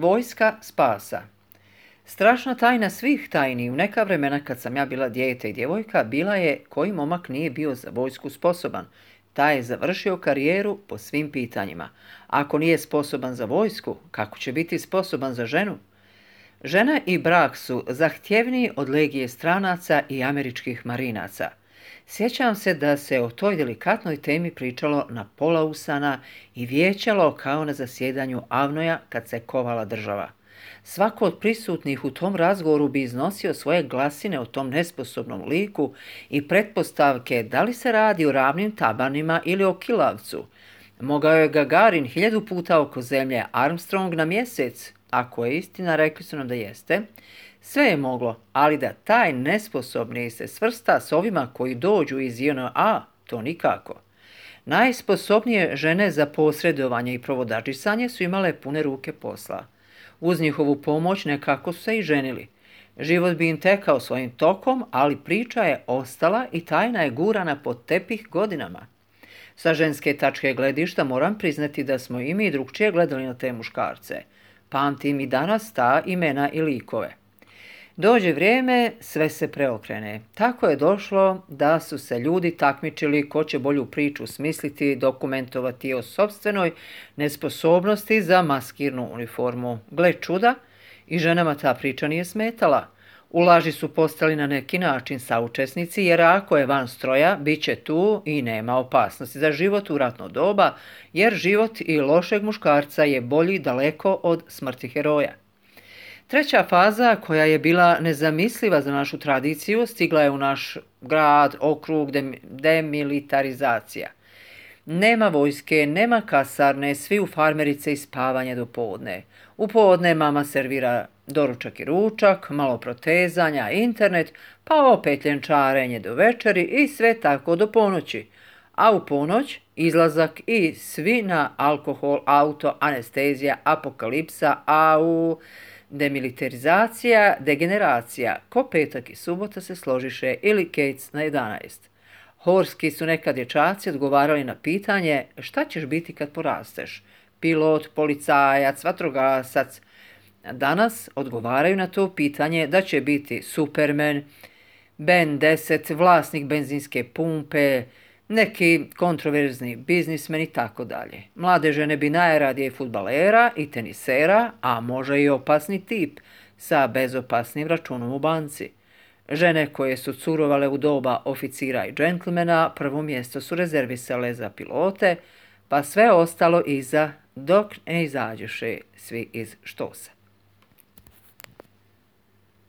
Vojska spasa. Strašna tajna svih tajni u neka vremena kad sam ja bila dijete i djevojka bila je koji momak nije bio za vojsku sposoban. Taj je završio karijeru po svim pitanjima. Ako nije sposoban za vojsku, kako će biti sposoban za ženu? Žena i brak su zahtjevniji od legije stranaca i američkih marinaca. Sjećam se da se o toj delikatnoj temi pričalo na pola usana i vijećalo kao na zasjedanju Avnoja kad se kovala država. Svako od prisutnih u tom razgovoru bi iznosio svoje glasine o tom nesposobnom liku i pretpostavke da li se radi o ravnim tabanima ili o kilavcu. Mogao je Gagarin 1000 puta oko zemlje, Armstrong na mjesec. Ako je istina, rekli su nam da jeste. Sve je moglo, ali da taj nesposobni se svrsta s ovima koji dođu iz JNA, to nikako. Najsposobnije žene za posredovanje i provodadžisanje su imale pune ruke posla. Uz njihovu pomoć nekako su se i ženili. Život bi im tekao svojim tokom, ali priča je ostala i tajna je gurana pod tepih godinama. Sa ženske tačke gledišta moram priznati da smo i mi drugčije gledali na te muškarce. Pamtim i danas ta imena i likove. Dođe vrijeme, sve se preokrene. Tako je došlo da su se ljudi takmičili ko će bolju priču smisliti, dokumentovati o sopstvenoj nesposobnosti za maskirnu uniformu. Gle čuda, i ženama ta priča nije smetala. U laži su postali na neki način saučesnici, jer ako je van stroja, bit će tu i nema opasnosti za život u ratno doba, jer život i lošeg muškarca je bolji daleko od smrti heroja. Treća faza, koja je bila nezamisliva za našu tradiciju, stigla je u naš grad, okrug, demilitarizacija. Nema vojske, nema kasarne, svi u farmerice i spavanje do podne. U podne mama servira doručak i ručak, malo protezanja, internet, pa opet ljenčarenje do večeri i sve tako do ponoći. A u ponoć izlazak i svi na alkohol, auto, anestezija, apokalipsa, demilitarizacija, degeneracija, ko petak i subota se složiše ili kejc na 11. Horski su nekad dječaci odgovarali na pitanje šta ćeš biti kad porasteš, pilot, policajac, vatrogasac. Danas odgovaraju na to pitanje da će biti Superman, Ben 10, vlasnik benzinske pumpe, neki kontroverzni biznismen i tako dalje. Mlade žene bi najradije fudbalera i tenisera, a može i opasni tip sa bezopasnim računom u banci. Žene koje su curovale u doba oficira i džentlmena, prvo mjesto su rezervisale za pilote, pa sve ostalo iza dok ne izađeše svi iz štosa.